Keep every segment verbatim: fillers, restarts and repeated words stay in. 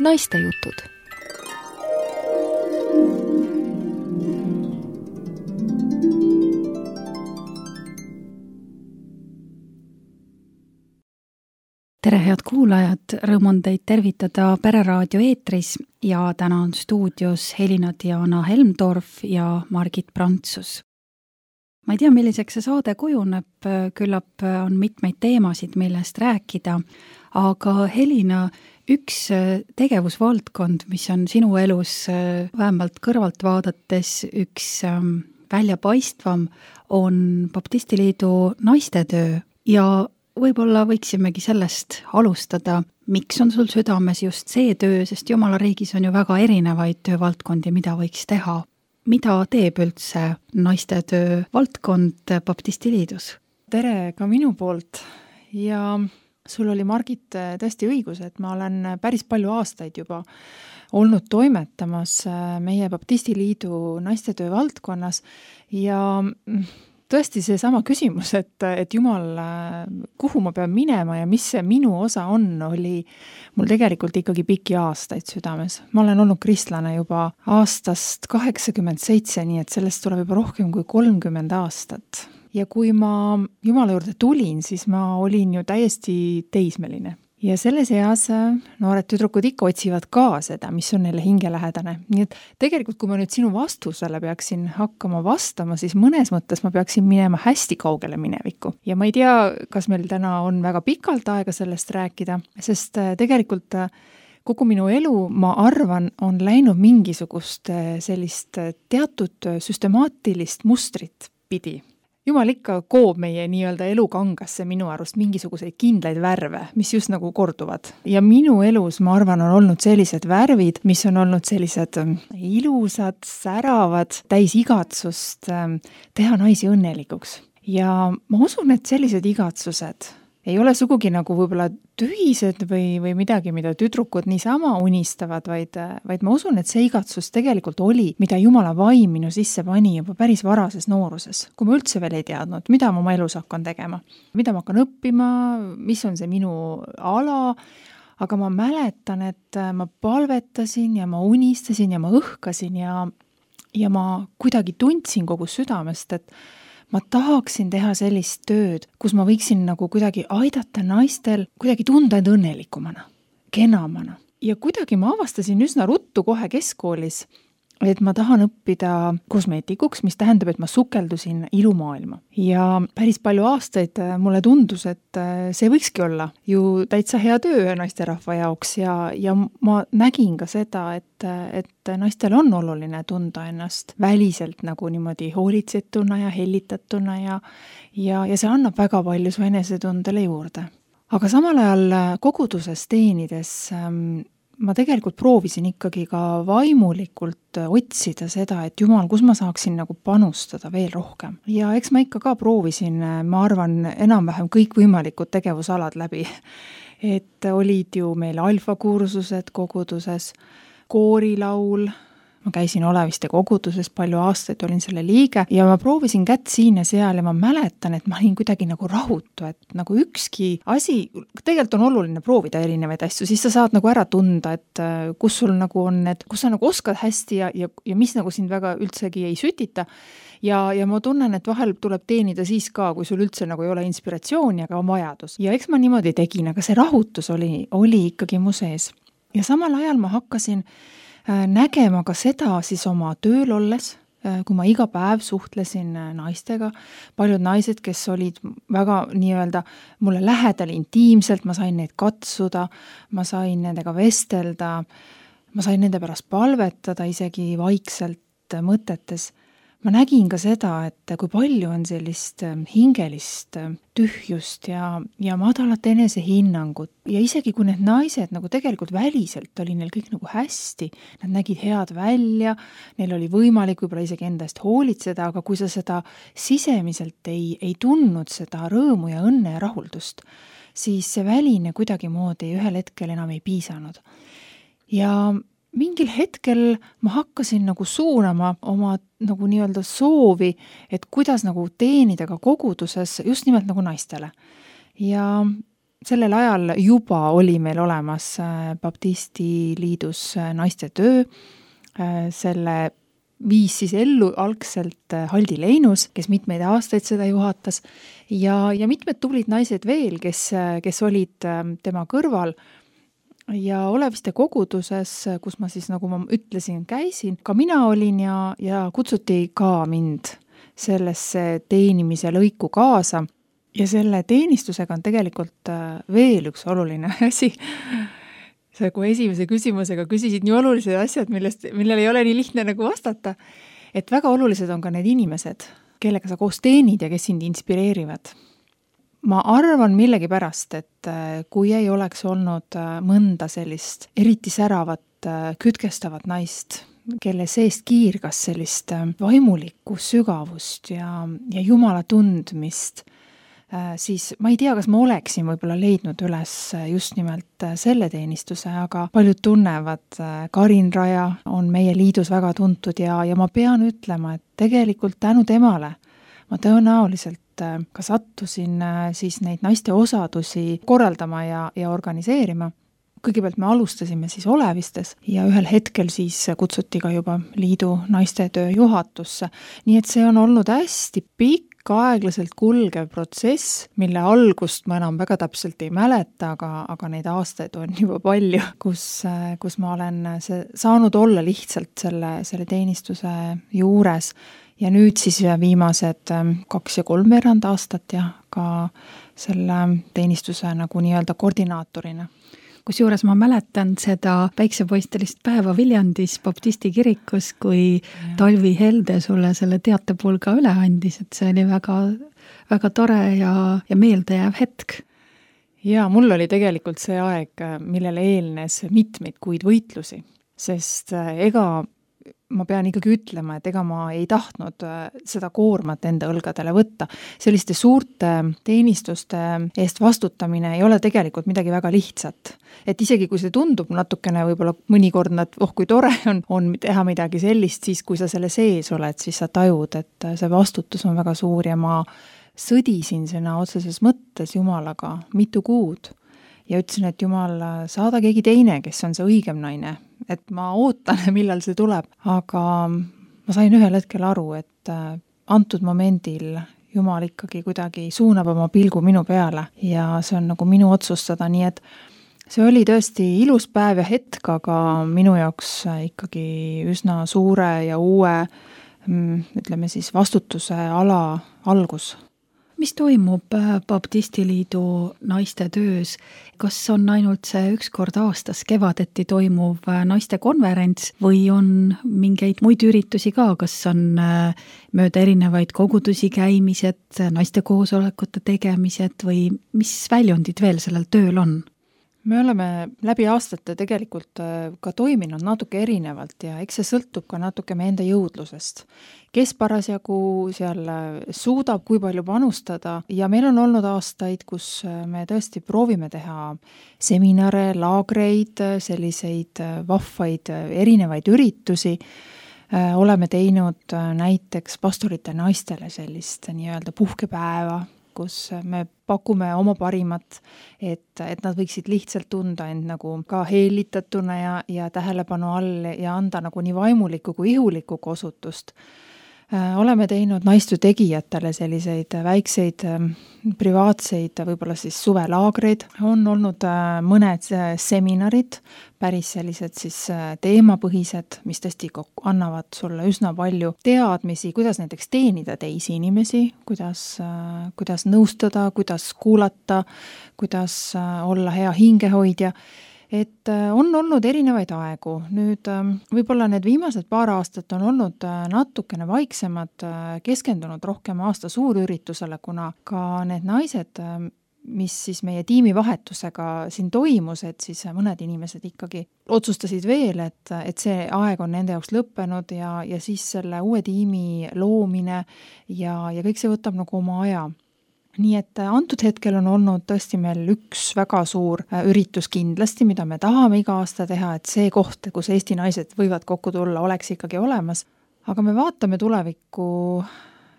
naistejutud. Tere, head kuulajad, rõõm on teid tervitada Pereraadio eetris ja täna on stuudios Helina-Diana Helmdorf ja Margit Prantsus. Ma ei tea, milliseks see saade kujuneb, küllap on mitmeid teemasid, millest rääkida, aga Helina, üks tegevusvaldkond, mis on sinu elus vähemalt kõrvalt vaadates üks väljapaistvam, on Baptistiliidu naistetöö ja võib-olla võiksimegi sellest alustada, miks on sul südames just see töö, sest Jumala riigis on ju väga erinevaid töövaldkondi, mida võiks teha. Mida teeb üldse naistetöö valdkond Baptistiliidus? Tere ka minu poolt ja sul oli, Margit, tõesti õigus, et ma olen päris palju aastaid juba olnud toimetamas meie Baptistiliidu naistetöö valdkonnas ja tõesti see sama küsimus, et, et Jumal, kuhu ma pean minema ja mis see minu osa on, oli mul tegelikult ikkagi pikki aastaid südames. Ma olen olnud kristlane juba aastast kaheksakümmend seitse, nii et sellest tuleb juba rohkem kui kolmkümmend aastat. Ja kui ma Jumala juurde tulin, siis ma olin ju täiesti teismeline. Ja selles eas noored tüdrukud ikka otsivad ka seda, mis on neile hingelähedane. Nii et tegelikult, kui ma nüüd sinu vastusele peaksin hakkama vastama, siis mõnes mõttes ma peaksin minema hästi kaugele minevikku. Ja ma ei tea, kas meil täna on väga pikalt aega sellest rääkida, sest tegelikult kogu minu elu, ma arvan, on läinud mingisugust sellist teatud süstemaatilist mustrit pidi. Jumal ikka koob meie nii-öelda elukangasse minu arust mingisuguseid kindlaid värve, mis just nagu korduvad. Ja minu elus, ma arvan, on olnud sellised värvid, mis on olnud sellised ilusad, säravad, täis igatsust teha naisi õnnelikuks. Ja ma usun, et sellised igatsused ei ole sugugi nagu võib-olla tühised või, või midagi, mida tüdrukud niisama unistavad, vaid, vaid ma usun, et see igatsus tegelikult oli, mida Jumala vaim minu sisse pani juba päris varases nooruses, kui ma üldse veel ei teadnud, mida ma oma elus hakkan tegema, mida ma hakkan õppima, mis on see minu ala, aga ma mäletan, et ma palvetasin ja ma unistasin ja ma õhkasin ja, ja ma kuidagi tundsin kogu südamest, et ma tahaksin teha sellist tööd, kus ma võiksin nagu kuidagi aidata naistel kuidagi tunda end õnnelikumana, kenamana. Ja kuidagi ma avastasin üsna ruttu kohe keskkoolis, et ma tahan õppida kosmeetikuks, mis tähendab, et ma sukeldusin ilumaailma. Ja päris palju aastaid mulle tundus, et see võikski olla ju täitsa hea töö naisterahva jaoks ja, ja ma nägin ka seda, et, et naistel on oluline tunda ennast väliselt nagu niimoodi hoolitsetuna ja hellitatuna ja, ja, ja see annab väga palju su enesetundele juurde. Aga samal ajal koguduses teenides ma tegelikult proovisin ikkagi ka vaimulikult otsida seda, et Jumal, kus ma saaksin nagu panustada veel rohkem. Ja eks ma ikka ka proovisin, ma arvan, enam-vähem kõik võimalikud tegevusalad läbi. Et olid ju meil alfakursused koguduses, koorilaul, ma käisin Oleviste koguduses, palju aastaid olin selle liige ja ma proovisin kätt siin ja seal ja ma mäletan, et ma olin kuidagi nagu rahutu, et nagu ükski asi, tegelikult on oluline proovida erinevaid asju, siis sa saad nagu ära tunda, et kus sul nagu on need, kus sa nagu oskad hästi ja, ja, ja mis nagu sind väga üldsegi ei sütita. Ja, ja ma tunnen, et vahel tuleb teenida siis ka, kui sul üldse nagu ei ole inspiratsiooni, aga on vajadus. Ja eks ma niimoodi tegin, aga see rahutus oli, oli ikkagi mu sees. Ja samal ajal ma hakkasin nägema ka seda siis oma tööl olles, kui ma iga päev suhtlesin naistega, paljud naised, kes olid väga nii-öelda mulle lähedal intiimselt, ma sain neid katsuda, ma sain nendega vestelda, ma sain nende pärast palvetada isegi vaikselt mõtetes. Ma nägin ka seda, et kui palju on sellist hingelist tühjust ja, ja madalat enesehinnangut ja isegi kui need naised nagu tegelikult väliselt oli neil kõik nagu hästi, nad nägid head välja, neil oli võimalik võib-olla isegi enda eest hoolitseda, aga kui sa seda sisemiselt ei, ei tundnud seda rõõmu ja õnne ja rahuldust, siis see väline kuidagimoodi ühel hetkel enam ei piisanud. Ja mingil hetkel ma hakkasin nagu suunama oma nagu nii-öelda soovi, et kuidas nagu teenida ka koguduses just nimelt nagu naistele. Ja sellel ajal juba oli meil olemas Baptisti Liidus naiste töö, selle viis siis ellu algselt Haldi Leinus, kes mitmeid aastaid seda juhatas ja, ja mitmed tublid naised veel, kes, kes olid tema kõrval ja Oleviste koguduses, kus ma siis, nagu ma ütlesin, käisin, ka mina olin ja, ja kutsuti ka mind sellesse teenimise lõiku kaasa. Ja selle teenistusega on tegelikult veel üks oluline asi. Sa kui esimese küsimusega küsisid nii olulised asjad, millest, millel ei ole nii lihtne nagu vastata, et väga olulised on ka need inimesed, kellega sa koos teenid ja kes sind inspireerivad. Ma arvan millegi pärast, et kui ei oleks olnud mõnda sellist eriti säravat, kütkestavat naist, kelle seest kiirgas sellist vaimulikku sügavust ja, ja Jumala tundmist, siis ma ei tea, kas ma oleksin võib-olla leidnud üles just nimelt selle teenistuse, aga paljud tunnevad, Karin Raja on meie liidus väga tuntud ja, ja ma pean ütlema, et tegelikult tänu temale ma tõenäoliselt ka sattusin siis neid naiste osadusi korraldama ja, ja organiseerima. Kõigepealt me alustasime siis Olevistes ja ühel hetkel siis kutsuti ka juba liidu naiste töö juhatusse. Nii et see on olnud hästi pikk, aeglaselt kulgev protsess, mille algust ma enam väga täpselt ei mäleta, aga, aga neid aastaid on juba palju, kus, kus ma olen see, saanud olla lihtsalt selle, selle teenistuse juures ja nüüd siis viimased kaks ja kolmveerand aastat ja ka selle teenistuse nagu nii-öelda koordinaatorina. Kusjuures ma mäletan seda päiksepoistelist päeva Viljandis Baptisti kirikus, kui ja. Talvi Helde sulle selle teatepulga üle andis, et see oli väga, väga tore ja, ja meeldejääv hetk. Ja mul oli tegelikult see aeg, millele eelnes mitmeid kuid võitlusi, sest ega ma pean ikkagi ütlema, et ega ma ei tahtnud seda koormat enda õlgadele võtta. Selliste suurte teenistuste eest vastutamine ei ole tegelikult midagi väga lihtsat. Et isegi kui see tundub natukene võib-olla mõnikord, et oh kui tore on, on teha midagi sellist, siis kui sa selle sees oled, siis sa tajud, et see vastutus on väga suur ja ma sõdisin sinna otseses mõttes Jumalaga mitu kuud. Ja ütlesin, et Jumal, saada keegi teine, kes on see õigem naine, et ma ootan, millal see tuleb, aga ma sain ühel hetkel aru, et antud momendil Jumal ikkagi kuidagi suunab oma pilgu minu peale ja see on nagu minu otsustada, nii et see oli tõesti ilus päev ja hetk, aga minu jaoks ikkagi üsna suure ja uue, ütleme siis vastutuse ala algus. Mis toimub Baptisti Liidu naiste töös? Kas on ainult see üks kord aastas kevadeti toimuv naiste konverents või on mingeid muid üritusi ka? Kas on mööda erinevaid kogudusi käimised, naiste koosolekute tegemised või mis väljundid veel sellel tööl on? Me oleme läbi aastate tegelikult ka toiminud natuke erinevalt ja eks see sõltub ka natuke meie enda jõudlusest. Kes parasjagu seal suudab, kui palju panustada ja meil on olnud aastaid, kus me tõesti proovime teha seminare, laagreid, selliseid vahvaid erinevaid üritusi. Oleme teinud näiteks pastorite naistele sellist nii-öelda puhkepäeva, kus me pakume oma parimat, et, et nad võiksid lihtsalt tunda end nagu ka heelitatuna ja, ja tähelepanu all ja anda nagu nii vaimulikku kui ihulikku osutust. Oleme teinud naistu tegijatele selliseid väikseid privaatseid, võib-olla siis suvelaagreid. On olnud mõned seminarid, päris sellised siis teemapõhised, mis tõesti annavad sulle üsna palju teadmisi, kuidas näiteks teenida teisi inimesi, kuidas, kuidas nõustada, kuidas kuulata, kuidas olla hea hingehoidja. Et on olnud erinevaid aegu. Nüüd võib-olla need viimased paar aastat on olnud natukene vaiksemad, keskendunud rohkem aasta suurüritusele, kuna ka need naised, mis siis meie tiimivahetusega siin toimus, et siis mõned inimesed ikkagi otsustasid veel, et, et see aeg on nende jaoks lõppenud ja, ja siis selle uue tiimi loomine ja, ja kõik see võtab nagu oma aja. Nii et antud hetkel on olnud tõesti meil üks väga suur üritus kindlasti, mida me tahame iga aasta teha, et see koht, kus Eesti naised võivad kokku tulla, oleks ikkagi olemas. Aga me vaatame tulevikku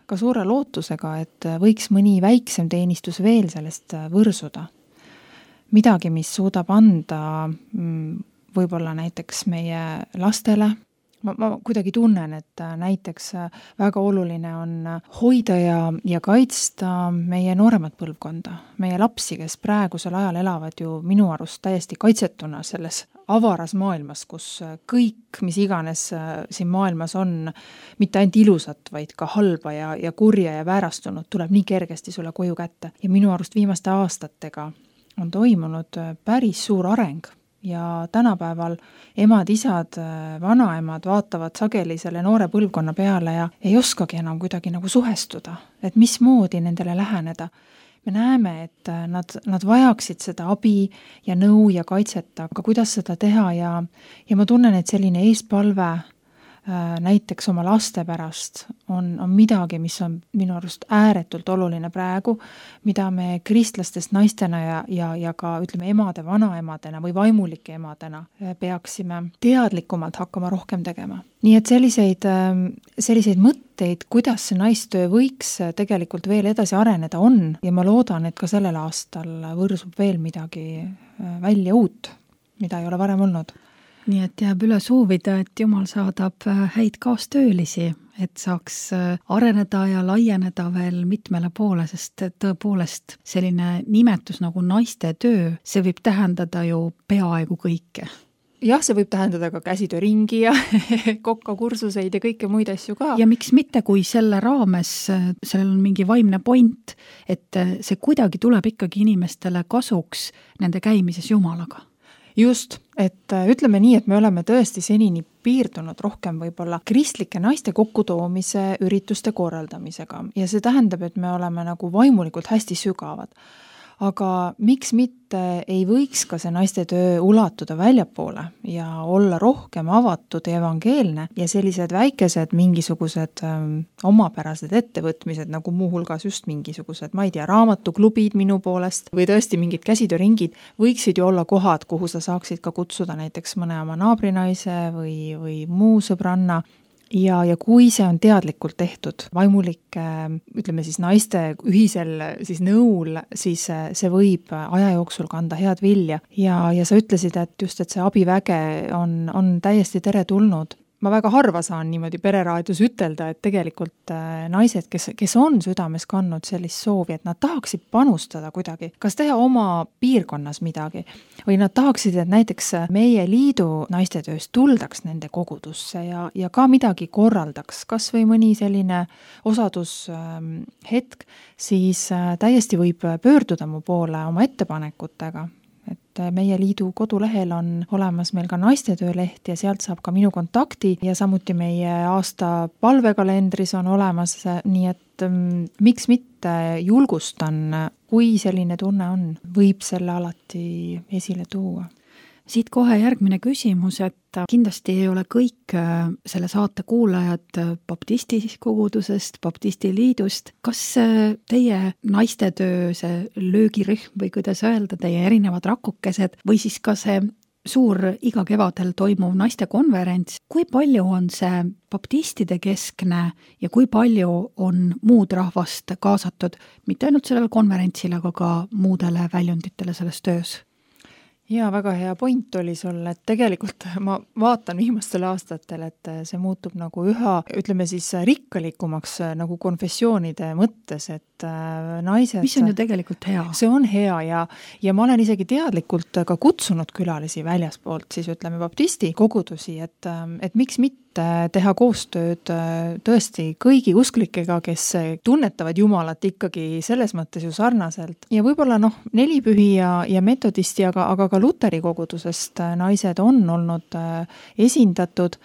ka suure lootusega, et võiks mõni väiksem teenistus veel sellest võrsuda. midagi, mis suudab anda võib-olla näiteks meie lastele. Ma, ma kuidagi tunnen, et näiteks väga oluline on hoida ja, ja kaitsta meie nooremat põlvkonda, meie lapsi, kes praegusel ajal elavad ju minu arust täiesti kaitsetuna selles avaras maailmas, kus kõik, mis iganes siin maailmas on, mitte ainult ilusat, vaid ka halba ja, ja kurja ja väärastunud, tuleb nii kergesti sulle koju kätte. Ja minu arust viimaste aastatega on toimunud päris suur areng. Ja tänapäeval emad, isad, vanaemad vaatavad sageli selle noore põlvkonna peale ja ei oskagi enam kuidagi nagu suhestuda, et mismoodi nendele läheneda. Me näeme, et nad, nad vajaksid seda abi ja nõu ja kaitset, aga kuidas seda teha ja, ja ma tunnen, et selline eespalve näiteks oma laste pärast on, on midagi, mis on minu arust ääretult oluline praegu, mida me kristlastest naistena ja, ja, ja ka ütleme emade, vanaemadena või vaimulike emadena peaksime teadlikumalt hakkama rohkem tegema. Nii et selliseid, selliseid mõtteid, kuidas see naistöö võiks tegelikult veel edasi areneda on ja ma loodan, et ka sellel aastal võrsub veel midagi välja uut, mida ei ole varem olnud. Nii et jääb üle soovida, et Jumal saadab häid kaastöölisi, et saaks areneda ja laieneda veel mitmele poole, sest tõepoolest selline nimetus nagu naiste töö, see võib tähendada ju peaaegu kõike. Jah, see võib tähendada ka käsitööringi ja kokkakursuseid ja kõike muid asju ka. Ja miks mitte, kui selle raames, sellel on mingi vaimne point, et see kuidagi tuleb ikkagi inimestele kasuks nende käimises Jumalaga. Just, et ütleme nii, et me oleme tõesti senini piirdunud rohkem võib-olla kristlike naiste kokkutoomise ürituste korraldamisega ja see tähendab, et me oleme nagu vaimulikult hästi sügavad. Aga miks mitte ei võiks ka see naiste töö ulatuda väljapoole ja olla rohkem avatud ja evangeelne ja sellised väikesed mingisugused ähm, omapärased ettevõtmised, nagu muuhulgas just mingisugused, ma ei tea, raamatuklubid minu poolest või tõesti mingid käsitööringid, võiksid ju olla kohad, kuhu sa saaksid ka kutsuda näiteks mõne oma naabrinaise või, või muu sõbranna. Ja, ja kui see on teadlikult tehtud vaimulike, ütleme siis naiste ühisel siis nõul, siis see võib aja jooksul kanda head vilja. Ja, ja sa ütlesid, et just, et see abiväge on, on täiesti teretulnud. Ma väga harva saan niimoodi pereraadios ütelda, et tegelikult naised, kes, kes on südames kandnud sellist soovi, et nad tahaksid panustada kuidagi, kas teha oma piirkonnas midagi, või nad tahaksid, et näiteks meie liidu naistetööst tuldaks nende kogudusse ja, ja ka midagi korraldaks, kas või mõni selline osadushetk, siis täiesti võib pöörduda mu poole oma ettepanekutega. Et meie liidu kodulehel on olemas meil ka naistetööleht ja sealt saab ka minu kontakti ja samuti meie aasta palvekalendris on olemas, nii et mm, miks mitte julgustan, kui selline tunne on, võib selle alati esile tuua. Siit kohe järgmine küsimus, et kindlasti ei ole kõik selle saate kuulajad baptisti kogudusest, baptisti liidust. Kas teie naistetöö, see löögirühm või kuidas öelda, teie erinevad rakukesed või siis ka see suur iga kevadel toimuv naistekonverents, kui palju on see baptistide keskne ja kui palju on muud rahvast kaasatud, mitte ainult sellele konverentsile, aga ka muudele väljunditele selles töös? Jaa, väga hea point oli sul, et tegelikult ma vaatan viimastel aastatel, et see muutub nagu üha, ütleme siis rikkalikumaks nagu konfessioonide mõttes, et naised... Mis on ju tegelikult hea? See on hea ja, ja ma olen isegi teadlikult ka kutsunud külalisi väljaspoolt, siis ütleme baptisti kogudusi, et, et miks mitte teha koostööd tõesti kõigi usklikega, kes tunnetavad Jumalat ikkagi selles mõttes ju sarnaselt. Ja võib-olla noh, nelipühi ja, ja metodisti, aga, aga ka luteri kogudusest naised on olnud esindatud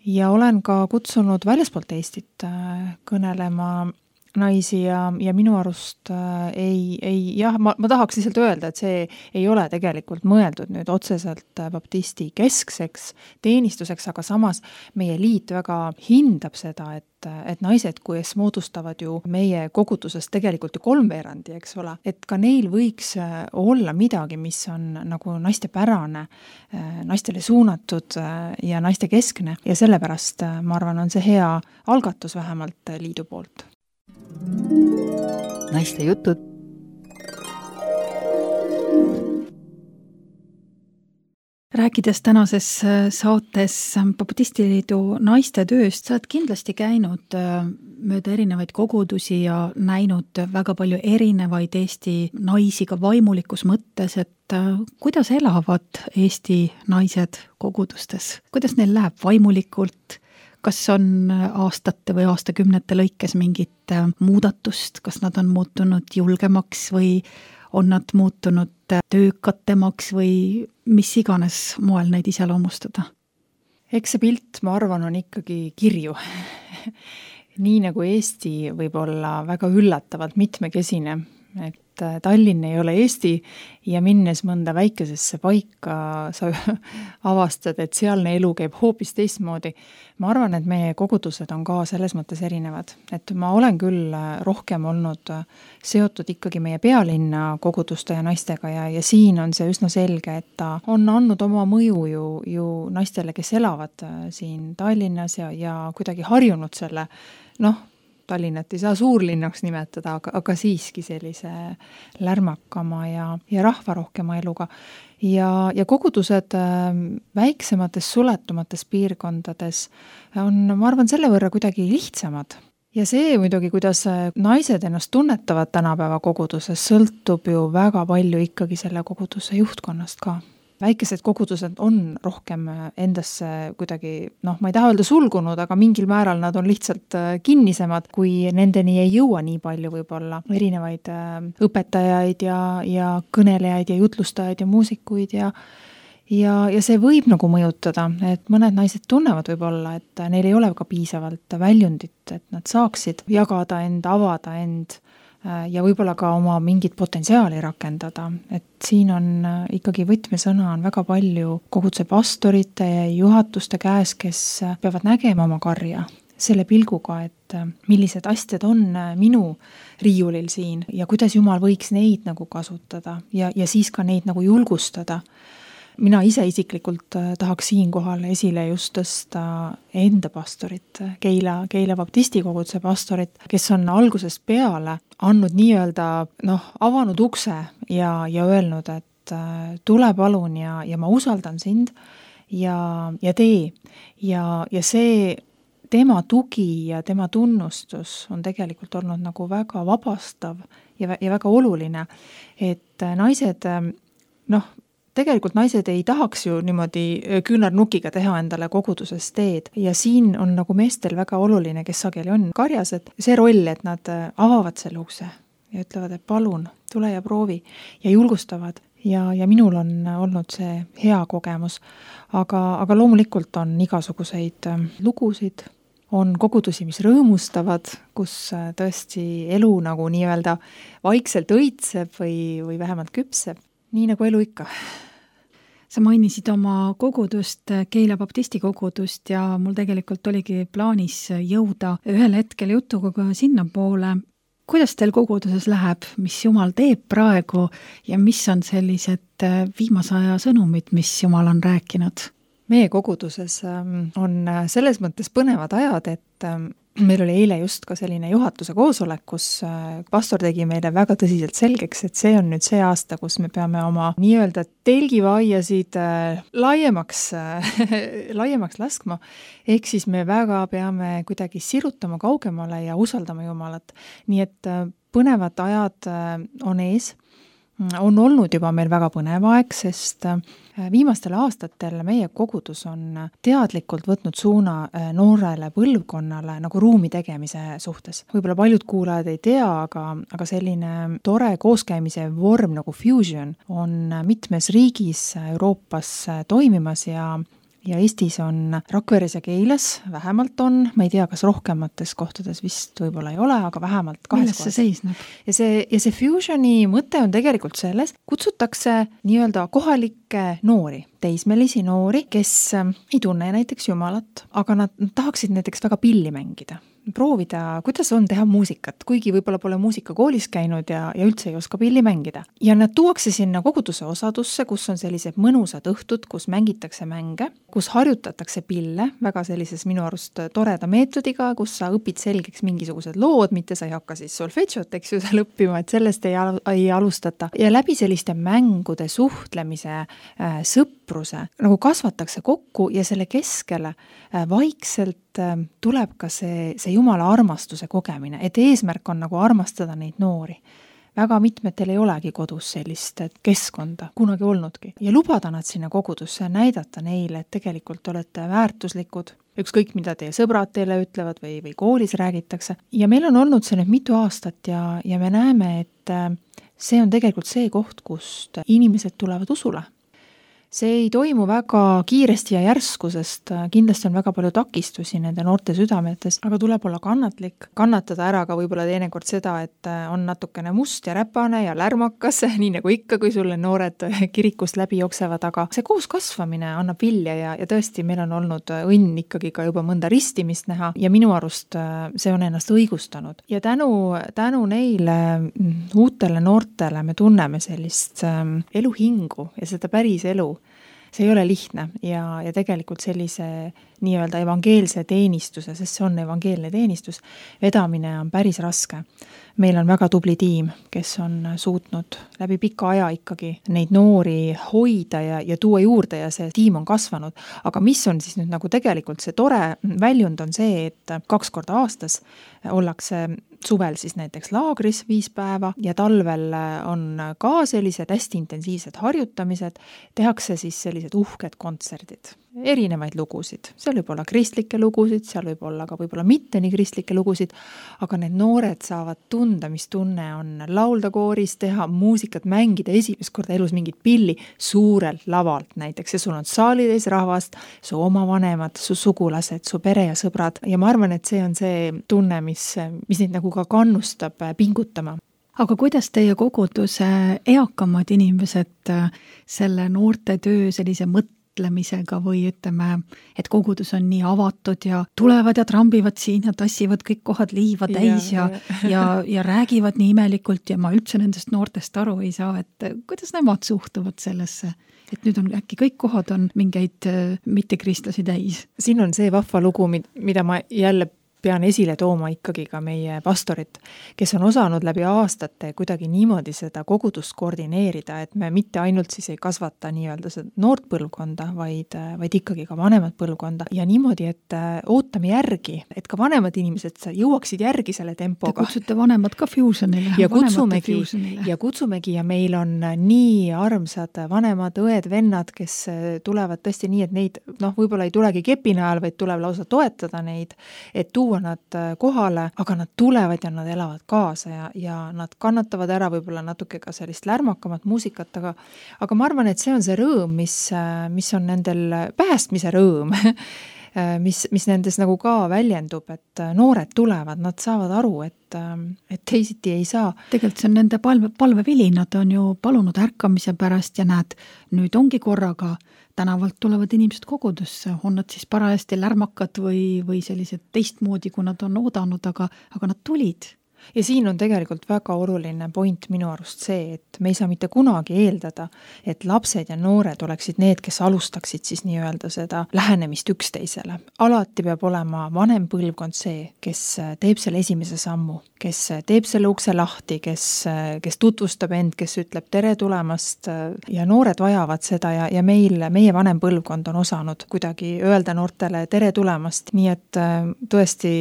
ja olen ka kutsunud väljaspoolt Eestit kõnelema naisi ja, ja minu arust äh, ei, ei, jah, ma, ma tahaks lihtsalt öelda, et see ei ole tegelikult mõeldud nüüd otseselt baptisti keskseks teenistuseks, aga samas meie liit väga hindab seda, et, et naised, kes moodustavad ju meie kogudusest tegelikult ju kolmveerandi, eks ole, et ka neil võiks olla midagi, mis on nagu naistepärane, naistele suunatud ja naiste keskne ja sellepärast ma arvan, on see hea algatus vähemalt liidu poolt. Naiste jutud. rääkides tänases saates Baptistiliidu naiste tööst, sa oled kindlasti käinud mööda erinevaid kogudusi ja näinud väga palju erinevaid Eesti naisi ka vaimulikus mõttes, et kuidas elavad Eesti naised kogudustes, kuidas neil läheb vaimulikult, kas on aastate või aastakümnete lõikes mingit muudatust, kas nad on muutunud julgemaks või on nad muutunud töökatemaks või mis iganes moel neid iseloomustada? Eks see pilt, ma arvan, on ikkagi kirju. Nii nagu Eesti võib olla väga üllatavalt mitmekesine, et Tallinn ei ole Eesti ja minnes mõnda väikesesse paika sa avastad, et sealne elu käib hoopis teistmoodi. Ma arvan, et meie kogudused on ka selles mõttes erinevad. Et ma olen küll rohkem olnud seotud ikkagi meie pealinna koguduste ja naistega ja, ja siin on see üsna selge, et ta on andnud oma mõju ju, ju naistele, kes elavad siin Tallinnas ja, ja kuidagi harjunud selle, noh, Tallinnat ei saa suurlinnaks nimetada, aga, aga siiski sellise lärmakama ja, ja rahvarohkema eluga. Ja, ja kogudused väiksemates suletumates piirkondades on, ma arvan, selle võrra kuidagi lihtsamad. Ja see muidugi, kuidas naised ennast tunnetavad tänapäeva koguduses, sõltub ju väga palju ikkagi selle koguduse juhtkonnast ka. Väikesed kogudused on rohkem endasse kuidagi, noh, ma ei taha öelda sulgunud, aga mingil määral nad on lihtsalt kinnisemad, kui nendeni ei jõua nii palju võib-olla erinevaid õpetajaid ja, ja kõnelejaid ja jutlustajaid ja muusikuid ja ja, ja see võib nagu mõjutada, et mõned naised tunnevad võib-olla, et neil ei ole ka piisavalt väljundit, et nad saaksid jagada end, avada end ja võib-olla ka oma mingit potentsiaali rakendada, et siin on ikkagi võtmesõna on väga palju koguduse pastorite ja juhatuste käes, kes peavad nägema oma karja selle pilguga, et millised asjad on minu riiulil siin ja kuidas Jumal võiks neid nagu kasutada ja, ja siis ka neid nagu julgustada. Mina ise isiklikult tahaks siinkohal esile just tõsta enda pastorit, Keila, Keila Baptisti koguduse pastorit, kes on algusest peale andnud nii-öelda, noh, avanud ukse ja, ja öelnud, et tule palun ja, ja ma usaldan sind ja, ja tee. Ja, ja see tema tugi ja tema tunnustus on tegelikult olnud nagu väga vabastav ja, ja väga oluline, et naised, noh, tegelikult naised ei tahaks ju niimoodi küünarnukiga teha endale koguduses teed ja siin on nagu meestel väga oluline, kes sageli on karjas, et see roll, et nad avavad selle ukse ja ütlevad, et palun, tule ja proovi ja julgustavad ja, ja minul on olnud see hea kogemus, aga, aga loomulikult on igasuguseid lugusid, on kogudusi, mis rõõmustavad, kus tõesti elu nagu nii-öelda vaikselt õitseb või, või vähemalt küpseb. Nii nagu elu ikka. Sa mainisid oma kogudust, Keila Baptisti kogudust ja mul tegelikult oligi plaanis jõuda ühel hetkel jutuga ka sinna poole. Kuidas teil koguduses läheb, mis Jumal teeb praegu ja mis on sellised viimase aja sõnumid, mis Jumal on rääkinud? Meie koguduses on selles mõttes põnevad ajad, et meil oli eile just ka selline juhatuse koosolek, kus pastor tegi meile väga tõsiselt selgeks, et see on nüüd see aasta, kus me peame oma nii-öelda telgivaiasid laiemaks, laiemaks laskma. Ehk siis me väga peame kuidagi sirutama kaugemale ja usaldama Jumalat. Nii et põnevad ajad on ees. On olnud juba meil väga põnev aeg, sest viimastel aastatel meie kogudus on teadlikult võtnud suuna noorele põlvkonnale nagu ruumi tegemise suhtes. Võib-olla paljud kuulajad ei tea, aga, aga selline tore kooskäimise vorm nagu Fusion on mitmes riigis Euroopas toimimas ja Ja Eestis on Rakveres ja Keilas, vähemalt on, ma ei tea, kas rohkemates kohtades vist võib-olla ei ole, aga vähemalt kahes Milles see seisneb? Ja see, ja see Fusioni mõte on tegelikult selles, kutsutakse nii-öelda kohalikke noori, teismelisi noori, kes ei tunne näiteks Jumalat, aga nad tahaksid näiteks väga pilli mängida. Proovida, kuidas on teha muusikat, kuigi võib-olla pole muusikakoolis käinud ja, ja üldse ei oska pilli mängida. Ja nad tuuakse sinna koguduse osadusse, kus on sellised mõnusad õhtud, kus mängitakse mänge, kus harjutatakse pille, väga sellises minu arust toreda meetodiga, kus sa õpid selgeks mingisugused lood, mitte sa ei hakka siis solfedžot, eks ju, seal õppima, et sellest ei, al- ei alustata. Ja läbi selliste mängude suhtlemise äh, sõp sõpruse nagu kasvatakse kokku ja selle keskele vaikselt tuleb ka see, see Jumala armastuse kogemine, et eesmärk on nagu armastada neid noori. Väga mitmetel ei olegi kodus sellist keskkonda kunagi olnudki. Ja lubada nad sinna kogudusse ja näidata neile, et tegelikult olete väärtuslikud, ükskõik mida teie sõbrad teile ütlevad või, või koolis räägitakse. Ja meil on olnud see nüüd mitu aastat ja, ja me näeme, et see on tegelikult see koht, kust inimesed tulevad usule. See ei toimu väga kiiresti ja järsku, sest kindlasti on väga palju takistusi nende noorte südametes, aga tuleb olla kannatlik, kannatada ära ka võib-olla teinekord seda, et on natukene must ja räpane ja lärmakas, nii nagu ikka, kui sulle noored kirikust läbi jooksevad, aga see koos kasvamine annab vilja ja, ja tõesti meil on olnud õnn ikkagi ka juba mõnda ristimist näha ja minu arust see on ennast õigustanud. Ja tänu, tänu neile uutele noortele me tunneme sellist eluhingu ja seda päris elu. See ei ole lihtne ja, ja tegelikult sellise nii-öelda evangeelse teenistuse, sest see on evangeelne teenistus, vedamine on päris raske. Meil on väga tubli tiim, kes on suutnud läbi pika aja ikkagi neid noori hoida ja, ja tuua juurde ja see tiim on kasvanud. Aga mis on siis nüüd nagu tegelikult see tore väljund on see, et kaks korda aastas ollakse suvel siis näiteks laagris viis päeva ja talvel on ka sellised hästi intensiivsed harjutamised, tehakse siis sellised uhked kontserdid. Erinevaid lugusid, seal võib olla kristlikke lugusid, seal võib olla ka võib-olla mitte nii kristlikke lugusid, aga need noored saavad tunda, mis tunne on laulda kooris, teha muusikat, mängida esimest korda elus mingit pilli suurelt lavalt näiteks ja sul on saalides rahvast, su oma vanemad, su sugulased, su pere ja sõbrad ja ma arvan, et see on see tunne, mis, mis neid nagu ka kannustab pingutama. Aga kuidas teie koguduse eakamad inimesed selle noorte töö sellise mõtte mõtlemisega või ütleme, et kogudus on nii avatud ja tulevad ja trambivad siin ja tassivad kõik kohad liiva täis ja, ja, ja, ja räägivad nii imelikult ja ma üldse nendest noortest aru ei saa, et kuidas nemad suhtuvad sellesse? Et nüüd on äkki kõik kohad on mingeid mittekristlasi täis. Siin on see vahva lugu, mida ma jälle pean esile tooma ikkagi ka meie pastorit, kes on osanud läbi aastate kuidagi niimoodi seda kogudust koordineerida, et me mitte ainult siis ei kasvata nii-öelda seda noort põlvkonda, vaid, vaid ikkagi ka vanemat põlvkonda ja niimoodi, et ootame järgi, et ka vanemad inimesed jõuaksid järgi selle tempoga. Te kutsute vanemad ka fusionile. Ja kutsumegi, ja kutsumegi ja meil on nii armsad vanemad õed, vennad, kes tulevad tõesti nii, et neid, noh, võib-olla ei tulegi kepina ajal, vaid tuleb lausa toetada neid, et tuua nad kohale, aga nad tulevad ja nad elavad kaasa ja, ja nad kannatavad ära võib-olla natuke ka sellist lärmakamat muusikat, aga, aga ma arvan, et see on see rõõm, mis, mis on nendel päästmise rõõm, mis, mis nendes nagu ka väljendub, et noored tulevad, nad saavad aru, et, et teisiti ei saa. Tegelikult see on nende palve, palvevili, nad on ju palunud ärkamise pärast ja näed, nüüd ongi korraga tänavalt tulevad inimesed kogudusse, on nad siis parajasti lärmakad või, või sellised teistmoodi, kui nad on oodanud, aga, aga nad tulid. Ja siin on tegelikult väga oluline point minu arust see, et me ei saa mitte kunagi eeldada, et lapsed ja noored oleksid need, kes alustaksid siis nii-öelda seda lähenemist üksteisele. Alati peab olema vanem põlvkond see, kes teeb selle esimese sammu, kes teeb selle ukse lahti, kes, kes tutvustab end, kes ütleb tere tulemast ja noored vajavad seda ja, ja meil, meie vanem põlvkond on osanud kuidagi öelda noortele tere tulemast. Nii et tõesti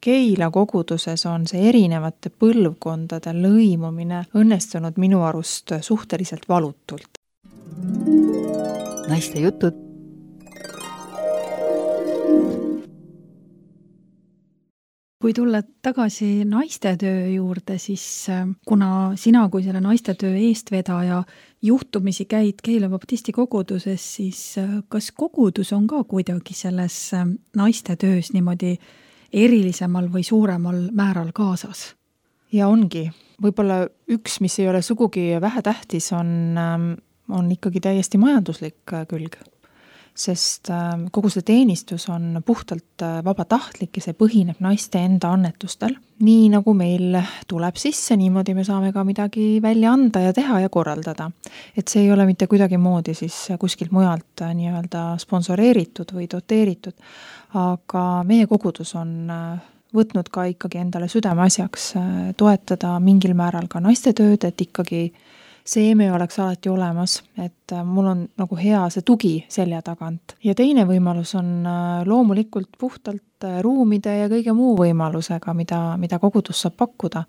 Keila koguduses on see eri erinevate põlvkondade lõimumine õnnestunud minu arust suhteliselt valutult. Naiste jutud. Kui tulla tagasi naistetöö juurde, siis kuna sina kui selle naistetöö eestvedaja juhtumisi käid Keila baptisti koguduses, siis kas kogudus on ka kuidagi selles naistetöös niimoodi erilisemal või suuremal määral kaasas? Ja ongi. Võib-olla üks, mis ei ole sugugi vähetähtis, on, on ikkagi täiesti majanduslik külg. Sest kogu see teenistus on puhtalt vabatahtlik ja see põhineb naiste enda annetustel. Nii nagu meil tuleb sisse, niimoodi me saame ka midagi välja anda ja teha ja korraldada. Et see ei ole mitte kuidagi moodi siis kuskilt mujalt nii-öelda sponsoreeritud või doteeritud, aga meie kogudus on võtnud ka ikkagi endale südame asjaks toetada mingil määral ka naiste tööd, et ikkagi seeme oleks alati olemas, et mul on nagu hea see tugi selja tagant. Ja teine võimalus on loomulikult puhtalt ruumide ja kõige muu võimalusega, mida, mida kogudus saab pakkuda.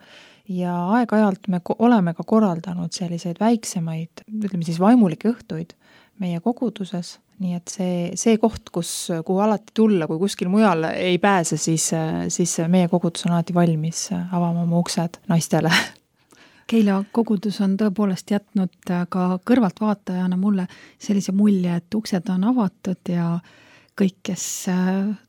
Ja aeg-ajalt me oleme ka korraldanud selliseid väiksemaid, ütleme siis vaimulikke õhtuid meie koguduses. Nii et see, see koht, kus, kuhu alati tulla, kui kuskil mujal ei pääse, siis, siis meie kogudus on alati valmis avama oma uksed naistele. Keila kogudus on tõepoolest jätnud ka kõrvaltvaatajana mulle sellise mulje, et uksed on avatud ja kõik, kes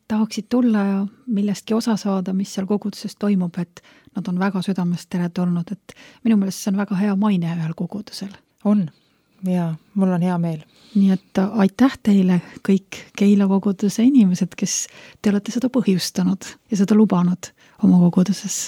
tahaksid tulla ja millestki osa saada, mis seal koguduses toimub, et nad on väga südamest teretulnud, et minu meelest see on väga hea maine ühel kogudusel. On. Ja mul on hea meel. Nii et aitäh teile kõik Keila koguduse inimesed, kes te olete seda põhjustanud ja seda lubanud oma koguduses.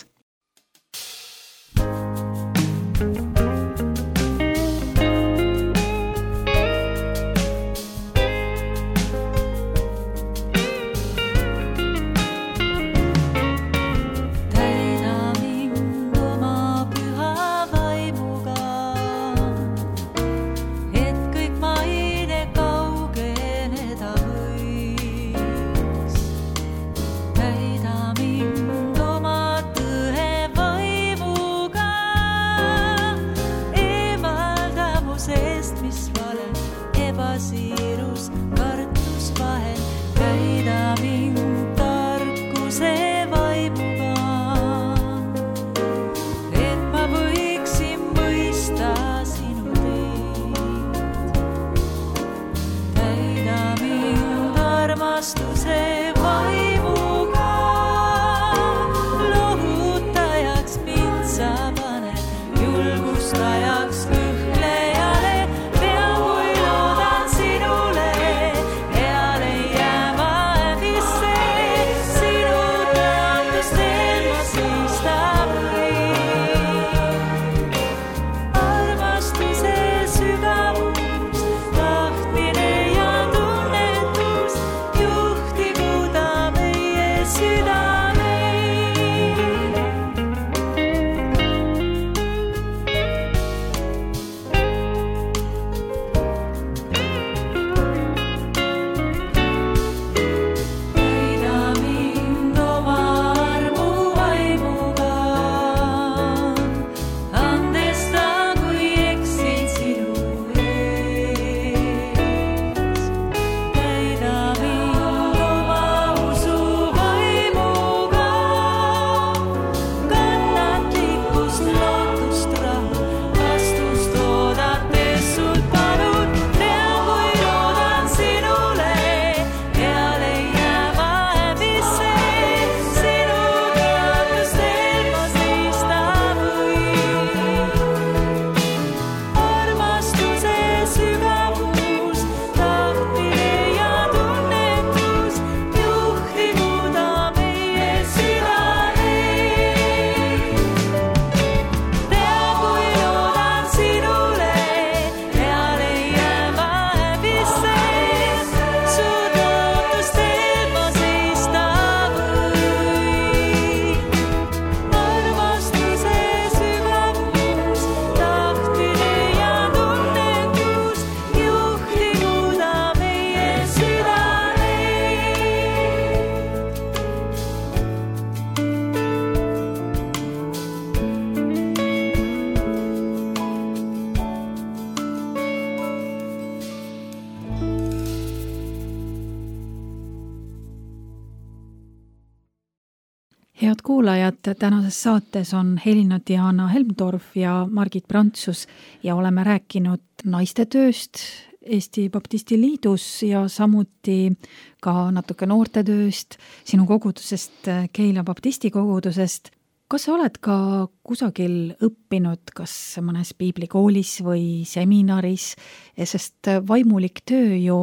Head kuulajad, tänases saates on Helina-Diana Helmdorf ja Margit Prantsus ja oleme rääkinud naiste tööst Eesti Baptisti Liidus ja samuti ka natuke noorte tööst, sinu kogudusest, Keila Baptisti kogudusest. Kas sa oled ka kusagil õppinud, kas mõnes piiblikoolis või seminaris, sest vaimulik töö ju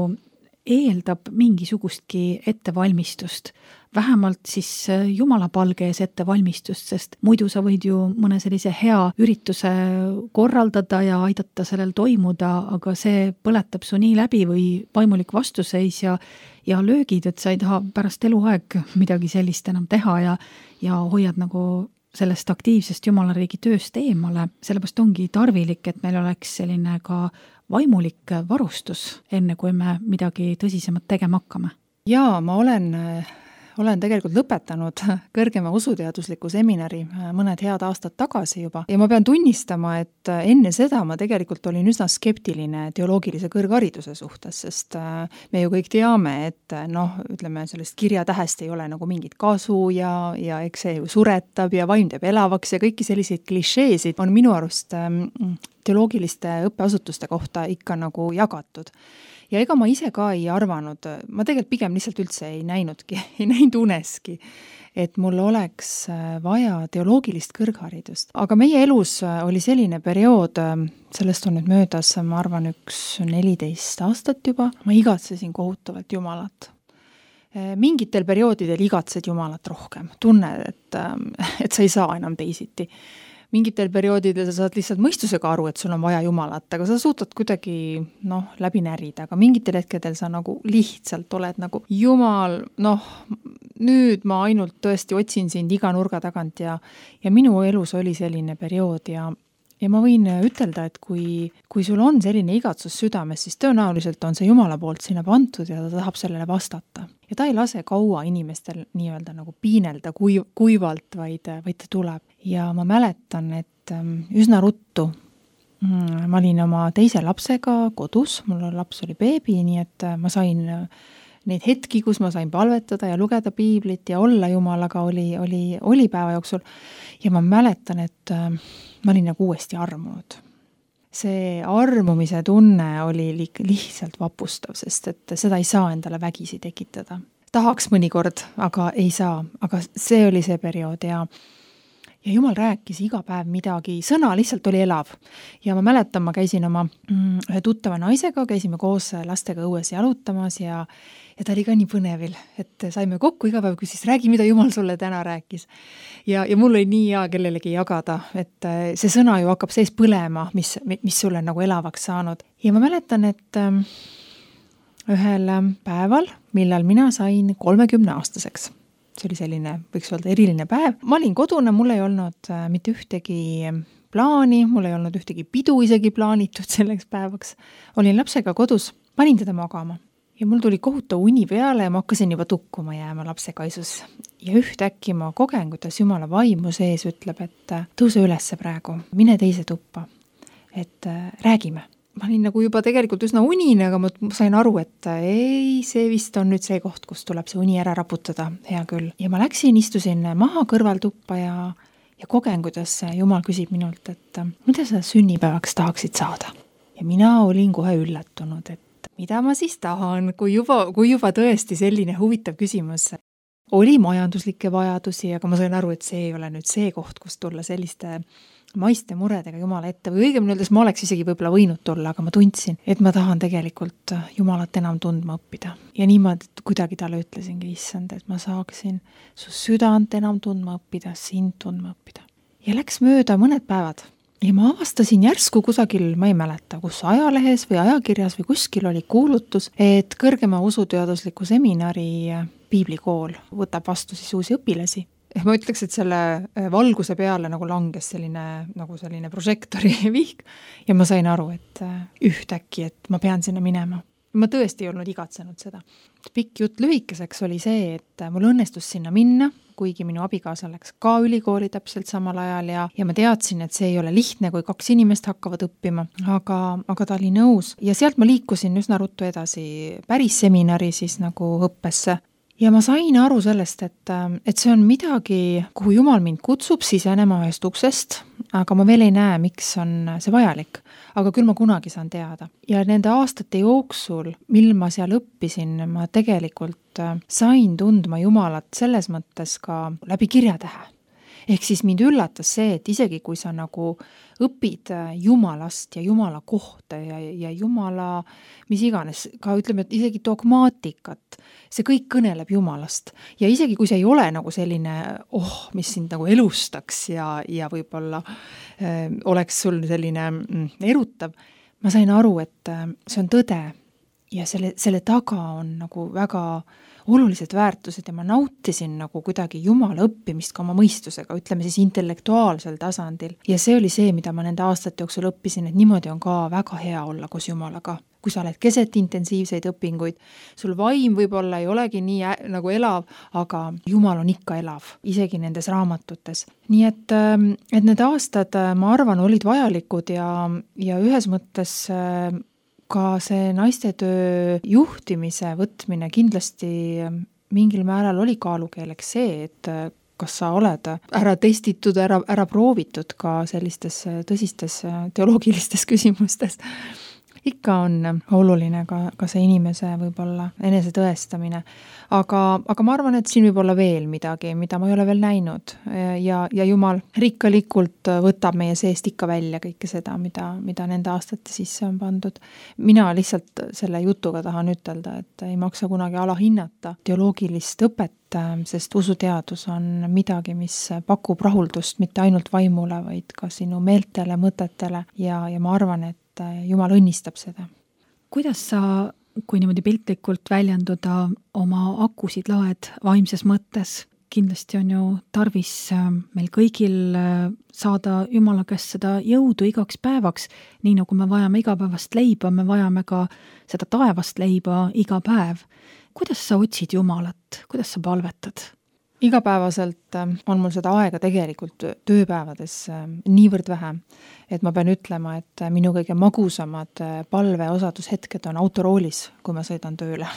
eeldab mingisugustki ettevalmistust, vähemalt siis jumalapalgees ettevalmistust, sest muidu sa võid ju mõne sellise hea ürituse korraldada ja aidata sellel toimuda, aga see põletab su nii läbi või vaimulik vastuseis ja, ja löögid, et sa ei taha pärast eluaeg midagi sellist enam teha ja, ja hoiad nagu sellest aktiivsest Jumalariigi tööst eemale, sellepärast ongi tarvilik, et meil oleks selline ka vaimulik varustus, enne kui me midagi tõsisemat tegema hakkame. Jaa, ma olen, olen tegelikult lõpetanud kõrgema usuteadusliku seminari mõned head aastad tagasi juba ja ma pean tunnistama, et enne seda ma tegelikult olin üsna skeptiline teoloogilise kõrghariduse suhtes, sest me ju kõik teame, et noh, ütleme, sellest kirjatähest ei ole nagu mingit kasu ja, ja eks see ju suretab ja vaim teeb elavaks ja kõiki selliseid klišeesid on minu arust teoloogiliste õppeasutuste kohta ikka nagu jagatud. Ja ega ma ise ka ei arvanud, ma tegelikult pigem lihtsalt üldse ei näinudki, ei näinud uneski, et mul oleks vaja teoloogilist kõrgharidust. Aga meie elus oli selline periood, sellest on nüüd möödas, ma arvan, üks neliteist aastat juba, ma igatsesin kohutavalt Jumalat. Mingitel perioodidel igatsed Jumalat rohkem, tunne, et, et sa ei saa enam teisiti. Mingitel perioodidel sa saad lihtsalt mõistusega aru, et sul on vaja Jumalat, aga sa suutad kuidagi noh, läbi närida, aga mingitel hetkedel sa nagu lihtsalt oled nagu Jumal, noh, nüüd ma ainult tõesti otsin sind iga nurga tagant ja, ja minu elus oli selline periood ja, ja ma võin ütelda, et kui, kui sul on selline igatsus südames, siis tõenäoliselt on see Jumala poolt sinna pandud ja ta tahab sellele vastata. Ja ta ei lase kaua inimestel nii-öelda nagu piinelda kui, kuivalt, vaid, vaid ta tuleb. Ja ma mäletan, et üsna ruttu ma olin oma teise lapsega kodus, mul laps oli beebi, nii et ma sain neid hetki, kus ma sain palvetada ja lugeda piiblit ja olla Jumalaga oli, oli, oli päeva jooksul. Ja ma mäletan, et ma olin nagu uuesti armunud. See armumise tunne oli li- lihtsalt vapustav, sest et seda ei saa endale vägisi tekitada. Tahaks mõnikord, aga ei saa. Aga see oli see periood ja, ja Jumal rääkis iga päev midagi. Sõna lihtsalt oli elav. Ja ma mäletan, ma käisin oma mm, ühe tuttava naisega, käisime koos lastega õues jalutamas ja, ja ta oli ka nii põnevil, et saime kokku iga päev, kui siis räägi, mida Jumal sulle täna rääkis. Ja, ja mul oli nii hea kellelegi jagada, et see sõna ju hakkab sees põlema, mis, mis sulle nagu elavaks saanud. Ja ma mäletan, et ühel päeval, millal mina sain kolmekümne aastaseks, see oli selline, võiks öelda eriline päev, ma olin kodune, mul ei olnud mitte ühtegi plaani, mul ei olnud ühtegi pidu isegi plaanitud selleks päevaks. Olin lapsega kodus, panin teda magama. Ja mul tuli kohutav uni peale ja ma hakkasin juba tukkuma jääma lapsekaisus. Ja ühtäkki ma kogen, kuidas Jumala vaimu sees ütleb, et tõuse ülesse praegu, mine teise tuppa, et räägime. Ma olin nagu juba tegelikult üsna unine, aga ma sain aru, et ei, see vist on nüüd see koht, kus tuleb see uni ära raputada, hea küll. Ja ma läksin, istusin maha kõrvaltuppa ja, ja kogen, kuidas Jumal küsib minult, et mida sa sünnipäevaks tahaksid saada. Ja mina olin kohe üllatunud, et mida ma siis tahan, kui juba, kui juba tõesti selline huvitav küsimus. Oli majanduslikke vajadusi, aga ma sain aru, et see ei ole nüüd see koht, kus tulla selliste maiste muredega Jumala ette. Või õigemini öeldes ma oleks isegi võib-olla võinud tulla, aga ma tundsin, et ma tahan tegelikult Jumalat enam tundma õppida. Ja niimoodi kuidagi talle ütlesingi, issand, et ma saaksin su südant enam tundma õppida, sind tundma õppida. Ja läks mööda mõned päevad. Ja ma avastasin järsku kusagil, ma ei mäleta, kus ajalehes või ajakirjas või kuskil oli kuulutus, et kõrgema usuteadusliku seminari piiblikool võtab vastu siis uusi õpilasi. Ma ütleks, et selle valguse peale nagu langes selline, nagu selline prožektori vihk ja ma sain aru, et ühtäkki, et ma pean sinna minema. Ma tõesti ei olnud igatsenud seda. Pikk jutt lühikeseks oli see, et mul õnnestus sinna minna, kuigi minu abikaasa läks ka ülikooli täpselt samal ajal ja, ja ma teadsin, et see ei ole lihtne, kui kaks inimest hakkavad õppima, aga, aga ta oli nõus. Ja sealt ma liikusin üsna ruttu edasi päris seminari siis nagu õppesse. Ja ma sain aru sellest, et, et see on midagi, kuhu Jumal mind kutsub sisenema ühest uksest, aga ma veel ei näe, miks on see vajalik. Aga küll ma kunagi saan teada. Ja nende aastate jooksul, mil ma seal õppisin, ma tegelikult sain tundma Jumalat selles mõttes ka läbi kirjatähe. Ehk siis mind üllatas see, et isegi kui sa nagu õpid Jumalast ja Jumala kohta ja, ja Jumala, mis iganes, ka ütleme, et isegi dogmaatikat, see kõik kõneleb Jumalast. Ja isegi kui see ei ole nagu selline, oh, mis sind nagu elustaks ja, ja võib-olla äh, oleks sul selline mm, erutav, ma sain aru, et äh, see on tõde ja selle, selle taga on nagu väga olulised väärtused ja ma nautisin nagu kuidagi Jumala õppimist ka oma mõistusega, ütleme siis intellektuaalsel tasandil. Ja see oli see, mida ma nende aastate jooksul õppisin, et niimoodi on ka väga hea olla koos Jumalaga. Kui sa oled keset intensiivseid õpinguid, sul vaim võib-olla ei olegi nii ä- nagu elav, aga Jumal on ikka elav, isegi nendes raamatutes. Nii et, et need aastad, ma arvan, olid vajalikud ja, ja ühes mõttes ka see naistetöö juhtimise võtmine kindlasti mingil määral oli kaalukeeleks see, et kas sa oled ära testitud, ära, ära proovitud ka sellistes tõsistes teoloogilistes küsimustes. Ikka on oluline ka, ka see inimese võib-olla enese tõestamine. Aga, aga ma arvan, et siin võib olla veel midagi, mida ma ei ole veel näinud ja, ja Jumal rikkalikult võtab meie seest ikka välja kõike seda, mida, mida nende aastate sisse on pandud. Mina lihtsalt selle jutuga tahan ütelda, et ei maksa kunagi alahinnata teoloogilist õpet, sest usuteadus on midagi, mis pakub rahuldust mitte ainult vaimule, vaid ka sinu meeltele, mõtetele ja, ja ma arvan, et Jumal õnnistab seda. Kuidas sa, kui niimoodi piltlikult väljenduda, oma akusid laed vaimses mõttes? Kindlasti on ju tarvis meil kõigil saada Jumala käest seda jõudu igaks päevaks, nii nagu me vajame igapäevast leiba, me vajame ka seda taevast leiba iga päev. Kuidas sa otsid Jumalat? Kuidas sa palvetad? Igapäevaselt on mul seda aega tegelikult tööpäevades niivõrd vähe, et ma pean ütlema, et minu kõige magusamad palveosadushetked on autoroolis, kui ma sõidan tööle.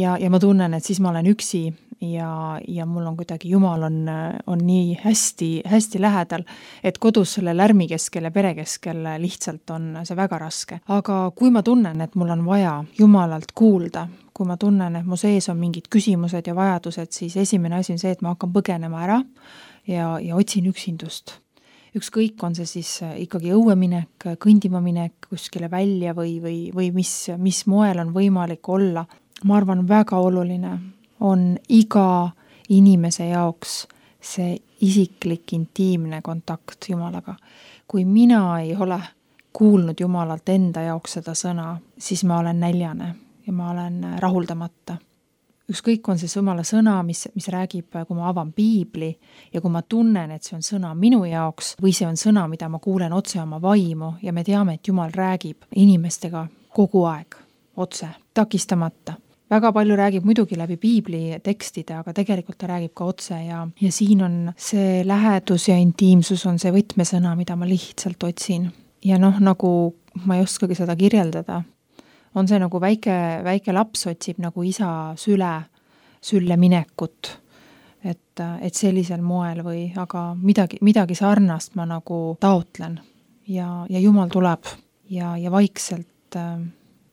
ja, ja ma tunnen, et siis ma olen üksi ja, ja mul on kuidagi Jumal on, on nii hästi, hästi lähedal, et kodus selle lärmi keskel ja pere keskel lihtsalt on see väga raske. Aga kui ma tunnen, et mul on vaja Jumalalt kuulda, kui ma tunnen, et mu sees on mingid küsimused ja vajadused, siis esimene asi on see, et ma hakkan põgenema ära ja, ja otsin üksindust. Ükskõik on see siis ikkagi õueminek, kõndima minek kuskile välja või, või, või mis, mis moel on võimalik olla. Ma arvan, väga oluline on iga inimese jaoks see isiklik, intiimne kontakt Jumalaga. Kui mina ei ole kuulnud Jumalalt enda jaoks seda sõna, siis ma olen näljane ja ma olen rahuldamata. Ükskõik on see Jumala sõna, mis, mis räägib, kui ma avan piibli ja kui ma tunnen, et see on sõna minu jaoks või see on sõna, mida ma kuulen otse oma vaimu ja me teame, et Jumal räägib inimestega kogu aeg, otse, takistamata. Väga palju räägib muidugi läbi piibli tekstide, aga tegelikult ta räägib ka otse ja, ja siin on see lähedus ja intiimsus on see võtmesõna, mida ma lihtsalt otsin. Ja noh, nagu ma ei oskagi seda kirjeldada, on see nagu väike, väike laps otsib nagu isa süle, sülle minekut, et, et sellisel moel või, aga midagi, midagi sarnast ma nagu taotlen ja, ja Jumal tuleb ja, ja vaikselt äh,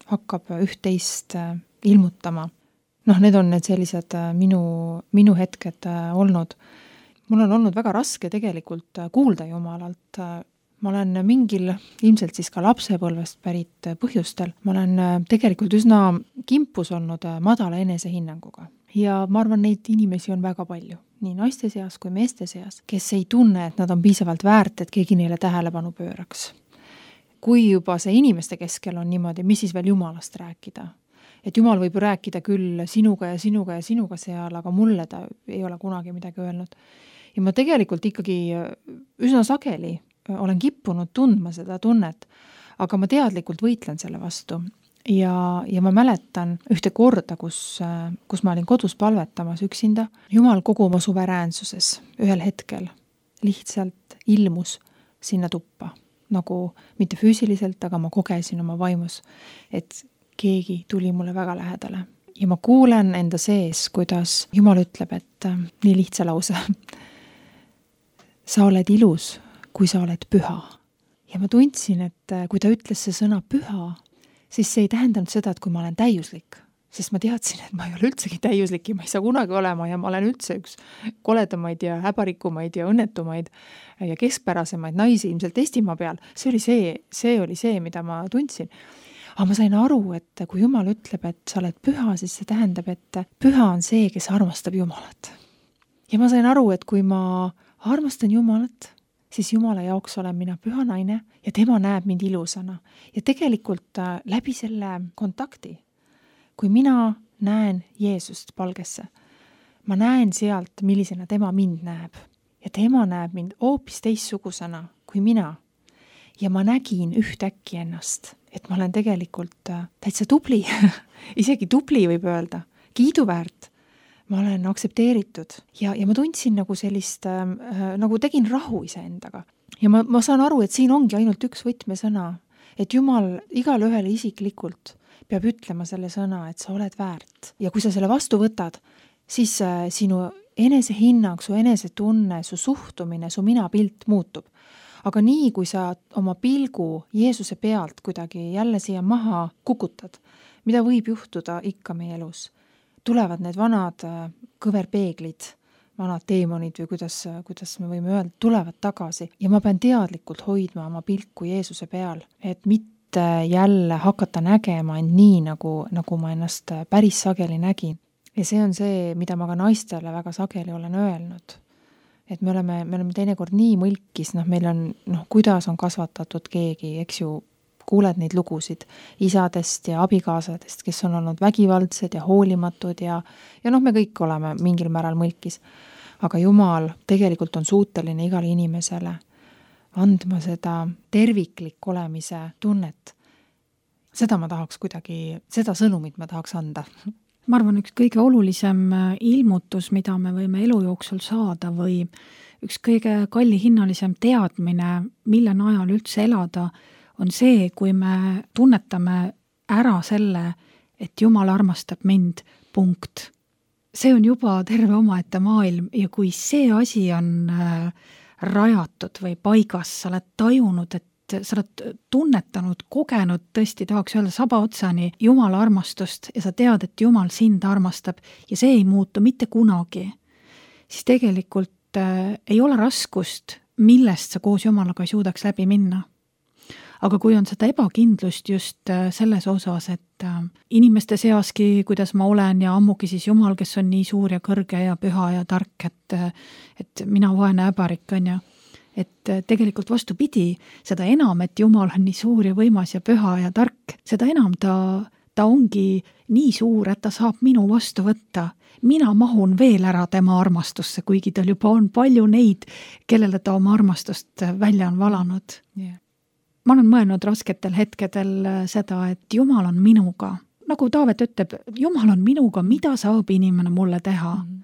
hakkab üht-teist äh, ilmutama. Noh, need on need sellised äh, minu, minu hetked äh, olnud. Mul on olnud väga raske tegelikult äh, kuulda Jumalalt äh, Ma olen mingil, ilmselt siis ka lapsepõlvest pärit põhjustel, ma olen tegelikult üsna kimpus olnud madala enesehinnanguga. Ja ma arvan, neid inimesi on väga palju, nii naiste seas kui meeste seas, kes ei tunne, et nad on piisavalt väärt, et keegi neile tähelepanu pööraks. Kui juba see inimeste keskel on niimoodi, mis siis veel Jumalast rääkida? Et Jumal võib rääkida küll sinuga ja sinuga ja sinuga seal, aga mulle ta ei ole kunagi midagi öelnud. Ja ma tegelikult ikkagi üsna sageli olen kippunud tundma seda tunnet, aga ma teadlikult võitlen selle vastu. Ja, ja ma mäletan ühte korda, kus, kus ma olin kodus palvetamas üksinda. Jumal kogu oma suveräänsuses ühel hetkel lihtsalt ilmus sinna tuppa. Nagu mitte füüsiliselt, aga ma kogesin oma vaimus, et keegi tuli mulle väga lähedale. Ja ma kuulen enda sees, kuidas Jumal ütleb, et nii lihtsa lause. Sa oled ilus, kui sa oled püha. Ja ma tundsin, et kui ta ütles see sõna püha, siis see ei tähendanud seda, et kui ma olen täiuslik, sest ma teadsin, et ma ei ole üldsegi täiuslik ja ma ei saa kunagi olema ja ma olen üldse üks koledamaid ja häbarikumaid ja õnnetumaid ja keskpärasemaid naisi ilmselt Eestimaa peal. See oli see, see oli see, mida ma tundsin. Aga ma sain aru, et kui Jumal ütleb, et sa oled püha, siis see tähendab, et püha on see, kes armastab Jumalat. Ja ma sain aru, et kui ma armastan Jumalat, siis Jumala jaoks olen mina püha naine ja tema näeb mind ilusana. Ja tegelikult läbi selle kontakti, kui mina näen Jeesust palgesse, ma näen sealt, millisena tema mind näeb. Ja tema näeb mind hoopis teistsugusena kui mina. Ja ma nägin ühtäkki ennast, et ma olen tegelikult täitsa tubli, isegi tubli võib öelda, kiiduväärt. Ma olen aktsepteeritud ja, ja ma tundsin nagu sellist, äh, nagu tegin rahu iseendaga. Ja ma, ma saan aru, et siin ongi ainult üks võtmesõna, et Jumal igale ühele isiklikult peab ütlema selle sõna, et sa oled väärt. Ja kui sa selle vastu võtad, siis äh, sinu enesehinnang, su enesetunne, su suhtumine, su minapilt muutub. Aga nii, kui sa oma pilgu Jeesuse pealt kuidagi jälle siia maha kukutad, mida võib juhtuda ikka meie elus, tulevad need vanad kõverpeeglid, vanad teemonid või kuidas, kuidas me võime öelda, tulevad tagasi. Ja ma pean teadlikult hoidma oma pilku Jeesuse peal, et mitte jälle hakata nägema end nii, nagu, nagu ma ennast päris sageli nägin. Ja see on see, mida ma ka naistele väga sageli olen öelnud. Et me oleme, me oleme teinekord nii mõlkis, noh, meil on, noh, kuidas on kasvatatud keegi, eks ju, kuuled neid lugusid isadest ja abikaasadest, kes on olnud vägivaldsed ja hoolimatud ja, ja noh, me kõik oleme mingil määral mõlkis. Aga Jumal tegelikult on suuteline igale inimesele andma seda terviklik olemise tunnet. Seda ma tahaks kuidagi, seda sõnumit ma tahaks anda. Ma arvan, üks kõige olulisem ilmutus, mida me võime elu jooksul saada või üks kõige kallihinnalisem teadmine, mille najal üldse elada, on see, kui me tunnetame ära selle, et Jumal armastab mind, punkt. See on juba terve omaette maailm ja kui see asi on rajatud või paigas, sa oled tajunud, et sa oled tunnetanud, kogenud, tõesti tahaks öelda saba otsani Jumala armastust ja sa tead, et Jumal sind armastab ja see ei muutu mitte kunagi, siis tegelikult äh, ei ole raskust, millest sa koos Jumalaga ei suudaks läbi minna. Aga kui on seda ebakindlust just äh, selles osas, et äh, inimeste seaski, kuidas ma olen ja ammugi siis Jumal, kes on nii suur ja kõrge ja püha ja tark, et, et mina vaene äbarik on ja et tegelikult vastupidi, seda enam, et Jumal on nii suur ja võimas ja püha ja tark, seda enam ta, ta ongi nii suur, et ta saab minu vastu võtta. Mina mahun veel ära tema armastusse, kuigi tal juba on palju neid, kellele ta oma armastust välja on valanud. Yeah. Ma olen mõelnud rasketel hetkedel seda, et Jumal on minuga. Nagu Taavet ütleb, Jumal on minuga, mida saab inimene mulle teha? Mm-hmm.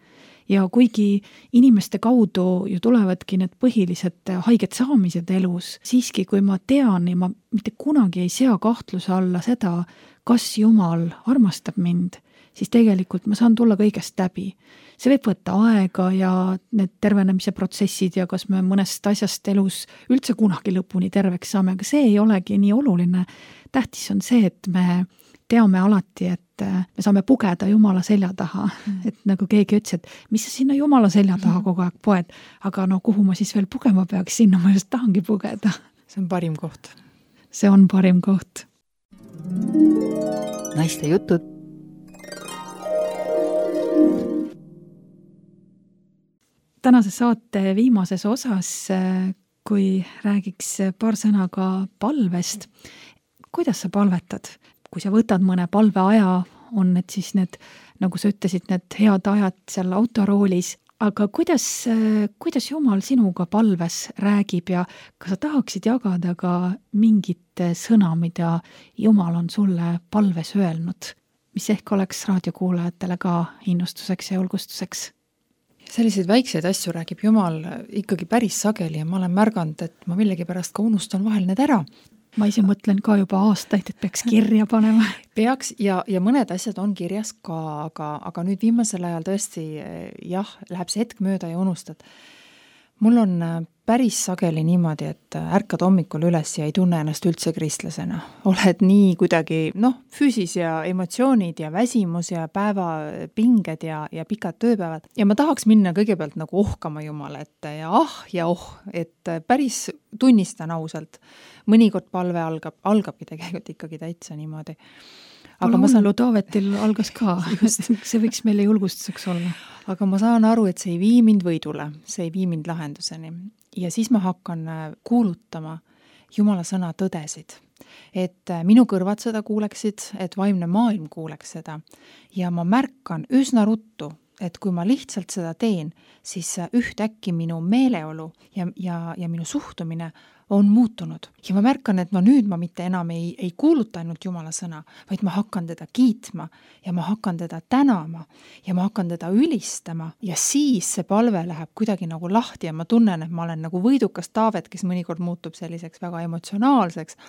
Ja kuigi inimeste kaudu ju tulevadki need põhilised haiged saamised elus, siiski kui ma tean ja ma mitte kunagi ei sea kahtluse alla seda, kas Jumal armastab mind, siis tegelikult ma saan tulla kõigest läbi. See võib võtta aega ja need tervenemise protsessid ja kas me mõnest asjast elus üldse kunagi lõpuni terveks saame, aga see ei olegi nii oluline. Tähtis on see, et me teame alati, et me saame pugeda Jumala selja taha. Mm. Et nagu keegi ütles, et mis sa sinna Jumala selja taha kogu aeg poed, aga no kuhu ma siis veel pugema peaks, sinna ma just tahangi pugeda. See on parim koht. See on parim koht. Naiste jutud. Tänase saate viimases osas, kui räägiks paar sõna ka palvest, kuidas sa palvetad? Kui sa võtad mõne palve aja, on need siis need, nagu sa ütlesid, need head ajad seal autoroolis, aga kuidas, kuidas Jumal sinuga palves räägib ja kas sa tahaksid jagada ka mingit sõna, mida Jumal on sulle palves öelnud, mis ehk oleks raadiokuulajatele ka innustuseks ja julgustuseks? Selliseid väikseid asju räägib Jumal ikkagi päris sageli ja ma olen märganud, et ma millegi pärast ka unustan vahel need ära. Ma ise mõtlen ka juba aastaid, et peaks kirja panema. Peaks ja, ja mõned asjad on kirjas ka, aga, aga nüüd viimasel ajal tõesti jah, läheb see hetk mööda ja unustad. Mul on päris sageli niimoodi, et ärkad hommikul üles ja ei tunne ennast üldse kristlasena. Oled nii kuidagi, noh, füüsis ja emotsioonid ja väsimus ja päeva pinged ja, ja pikad tööpäevad. Ja ma tahaks minna kõigepealt nagu ohkama Jumala ette ja ah ja oh, et päris tunnistan ausalt. Mõnikord palve algab, algabki tegelikult ikkagi täitsa niimoodi. Aga ma saan... Taavetil algas ka, see võiks meile julgustuseks olla. Aga ma saan aru, et see ei vii mind võidule, see ei vii mind lahenduseni. ja siis ma hakkan kuulutama Jumala sõna tõdesid. Et minu kõrvad seda kuuleksid, et vaimne maailm kuuleks seda. Ja ma märkan üsna ruttu, et kui ma lihtsalt seda teen, siis ühtäkki minu meeleolu ja, ja, ja minu suhtumine on muutunud. Ja ma märkan, et no nüüd ma mitte enam ei, ei kuuluta ainult Jumala sõna, vaid ma hakkan teda kiitma ja ma hakkan teda tänama ja ma hakkan teda ülistama ja siis see palve läheb kuidagi nagu lahti ja ma tunnen, et ma olen nagu võidukas Taavet, kes mõnikord muutub selliseks väga emotsionaalseks,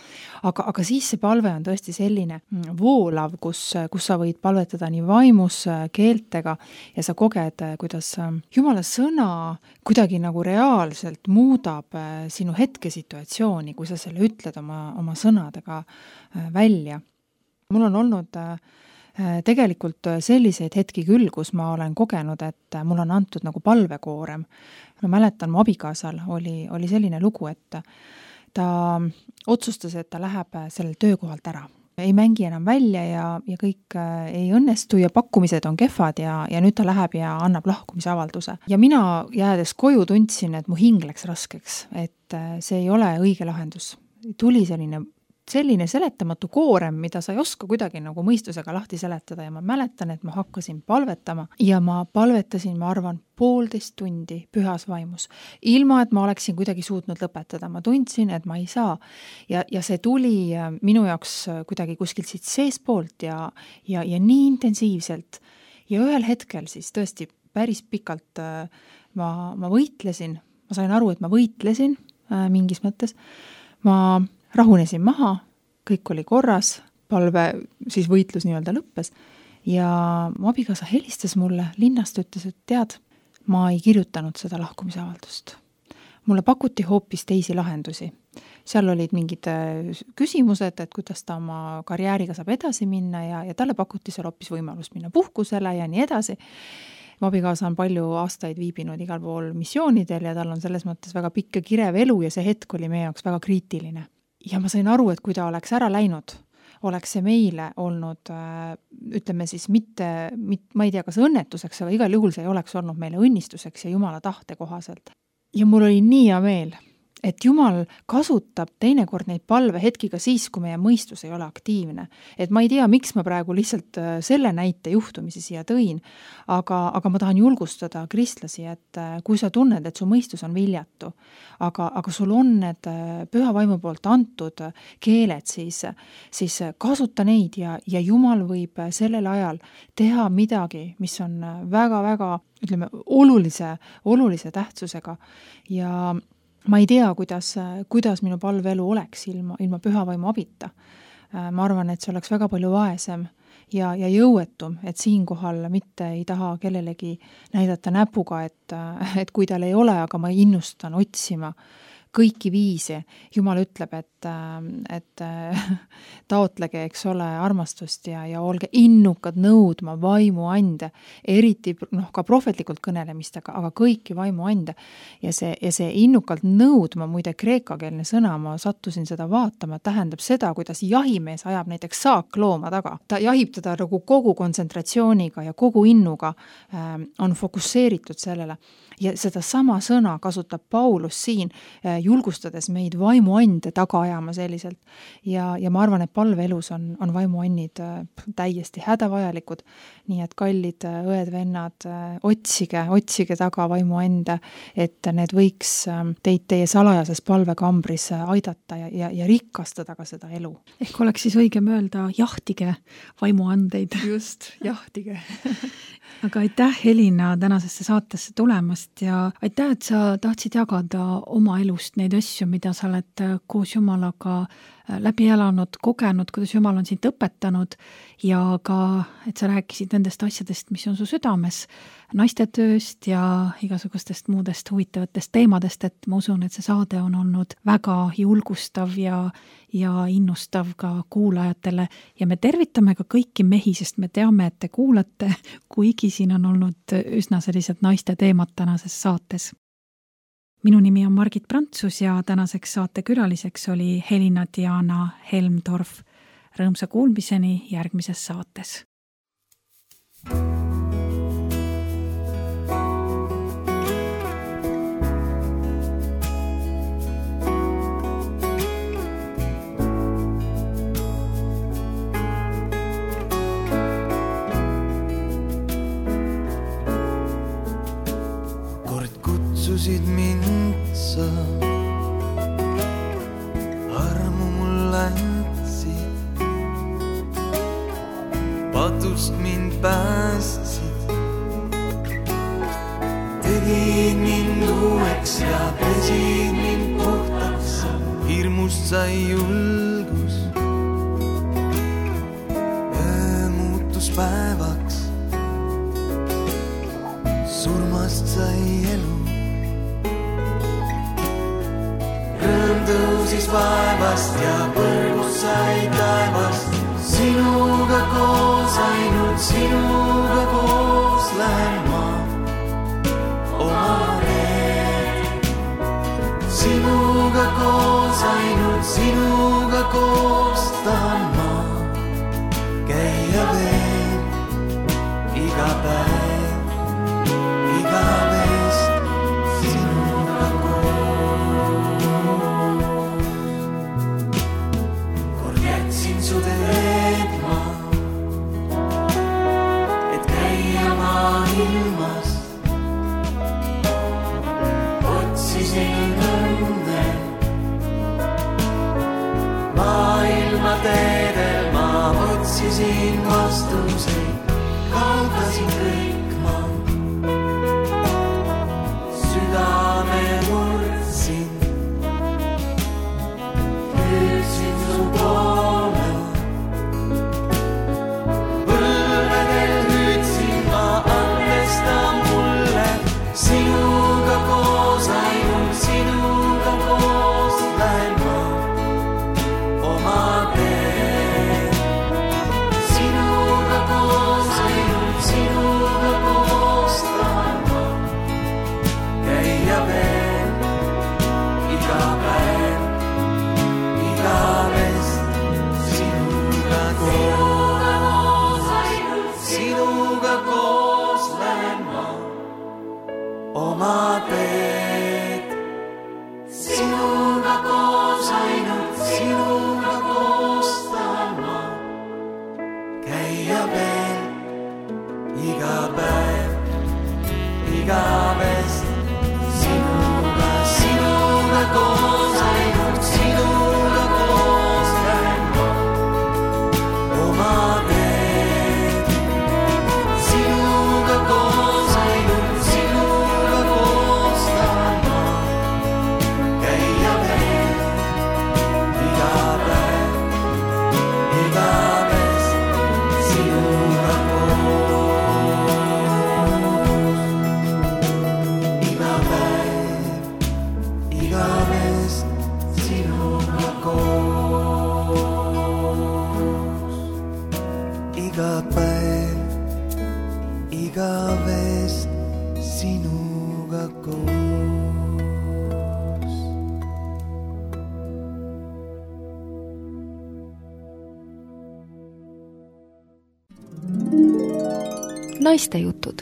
aga, aga siis see palve on tõesti selline voolav, kus, kus sa võid palvetada nii vaimus keeltega ja sa koged, kuidas Jumala sõna kuidagi nagu reaalselt muudab sinu hetkesid situatsiooni, kui sa selle ütled oma, oma sõnadega välja. Mul on olnud tegelikult selliseid hetki küll, kus ma olen kogenud, et mul on antud nagu palvekoorem. Ma mäletan, mu abikaasal oli, oli selline lugu, et ta otsustas, et ta läheb sellel töökohalt ära. Ei mängi enam välja ja, ja kõik ei õnnestu ja pakkumised on kehvad ja, ja nüüd ta läheb ja annab lahkumisavalduse. Ja mina jäädes koju tundsin, et mu hing läks raskeks, et see ei ole õige lahendus. Tuli selline, selline seletamatu koorem, mida sa ei oska kuidagi nagu mõistusega lahti seletada ja ma mäletan, et ma hakkasin palvetama ja ma palvetasin, ma arvan, poolteist tundi pühas vaimus. Ilma, et ma oleksin kuidagi suutnud lõpetada. Ma tundsin, et ma ei saa. Ja, ja see tuli minu jaoks kuidagi kuskilt siit seespoolt ja, ja, ja nii intensiivselt. Ja ühel hetkel siis tõesti päris pikalt ma, ma võitlesin. Ma sain aru, et ma võitlesin mingis mõttes. Ma rahunesin maha, kõik oli korras, palve siis võitlus nii-öelda lõppes. Ja mu abikaasa helistas mulle linnast, ütles, et tead, ma ei kirjutanud seda lahkumisavaldust. Mulle pakuti hoopis teisi lahendusi. Seal olid mingid küsimused, et kuidas ta oma karjääriga saab edasi minna ja, ja talle pakuti seal hoopis võimalust minna puhkusele ja nii edasi. Mu abikaasa on palju aastaid viibinud igal pool missioonidel ja tal on selles mõttes väga pikk ja kirev elu ja see hetk oli meie jaoks väga kriitiline. Ja ma sain aru, et kui ta oleks ära läinud, oleks see meile olnud, ütleme siis mitte, mitte, ma ei tea, kas õnnetuseks, aga igal juhul see ei oleks olnud meile õnnistuseks ja Jumala tahte kohaselt. Ja mul oli nii hea meel, et Jumal kasutab teinekord neid palve hetkiga siis, kui meie mõistus ei ole aktiivne. Et ma ei tea, miks ma praegu lihtsalt selle näite juhtumisi siia tõin, aga, aga ma tahan julgustada kristlasi, et kui sa tunned, et su mõistus on viljatu, aga, aga sul on need püha vaimu poolt antud keeled, siis, siis kasuta neid ja, ja Jumal võib sellel ajal teha midagi, mis on väga-väga, ütleme, olulise, olulise tähtsusega ja ma ei tea, kuidas, kuidas minu palveelu oleks ilma, ilma püha vaimu abita. Ma arvan, et see oleks väga palju vaesem ja, ja jõuetum, et siinkohal mitte ei taha kellelegi näidata näpuga, et, et kui tal ei ole, aga ma innustan otsima kõiki viise. Jumal ütleb, et, et taotlege, eks ole, armastust ja, ja olge innukad nõudma vaimu ande, eriti noh, ka prohvetlikult kõnelemistega, aga kõiki vaimu ande. Ja see, ja see innukalt nõudma, muide kreekakeelne sõna, ma sattusin seda vaatama, tähendab seda, kuidas jahimees ajab näiteks saaklooma taga. Ta jahib teda nagu kogu kontsentratsiooniga ja kogu innuga äh, on fokusseeritud sellele. Ja seda sama sõna kasutab Paulus siin, julgustades meid vaimuande taga ajama selliselt. Ja, ja ma arvan, et palveelus on, on vaimuannid täiesti hädavajalikud. Nii et kallid õed, vennad, otsige, otsige taga vaimuande, et need võiks teid teie salajases palvekambris aidata ja, ja, ja rikastada ka seda elu. Ehk oleks siis õigem öelda jahtige vaimuandeid. Just, jahtige. Aga aitäh, Helina, tänasesse saatesse tulemast ja aitäh, et sa tahtsid jagada oma elust neid asju, mida sa oled koos Jumalaga läbi elanud, kogenud, kuidas Jumal on sind õpetanud ja ka, et sa rääkisid nendest asjadest, mis on su südames, naistetööst ja igasugustest muudest huvitavatest teemadest, et ma usun, et see saade on olnud väga julgustav ja, ja innustav ka kuulajatele ja me tervitame ka kõiki mehi, sest me teame, et te kuulate, kuigi siin on olnud üsna sellised naiste teemad tänases saates. Minu nimi on Margit Prantsus ja tänaseks saate külaliseks oli Helina Diana Helmdorf. Rõõmsa kuulmiseni järgmises saates. palusid mind sa, armu mulle andsid, patust mind päästsid, tegid mind uueks ja pesid mind puhtaks, hirmust sai julgus, öö muutus päevaks, surmast sai elu. Rõõm tõusis vaevast ja põrgust sai taevast, sinuga koos, ainult sinuga koos lähen ma oma teed. Sinuga koos, ainult sinuga koos tahan ma käia veel iga päev, igavest sinuga koos. Kord jätsin su teed ma, et käia ma ilmas, otsisin õnne maailma teedel, ma otsisin vastuseid, kaotasin kõik ma, südame murdsin, hüüdsin su poole, põlvedel hüüdsin ma, andesta mulle, sinuga koos, ainult sinuga koos lähen ma oma teed. Sinuga koos, ainult sinuga koos tahan ma käia veel iga päev, igavest sinuga koos, ainult sinuga koos lähen ma oma teed. Sinuga koos, ainult sinuga koos tahan ma käia veel iga päev, igavest sinuga, sinuga koos, ainult sinuga koos lähen ma oma teed. Sinuga koos, ainult sinuga koos tahan ma käia veel iga päev, igavest sinuga koos. Iga päev, igavest sinuga koos. Iga päev, igavest sinuga koos. Naistejutud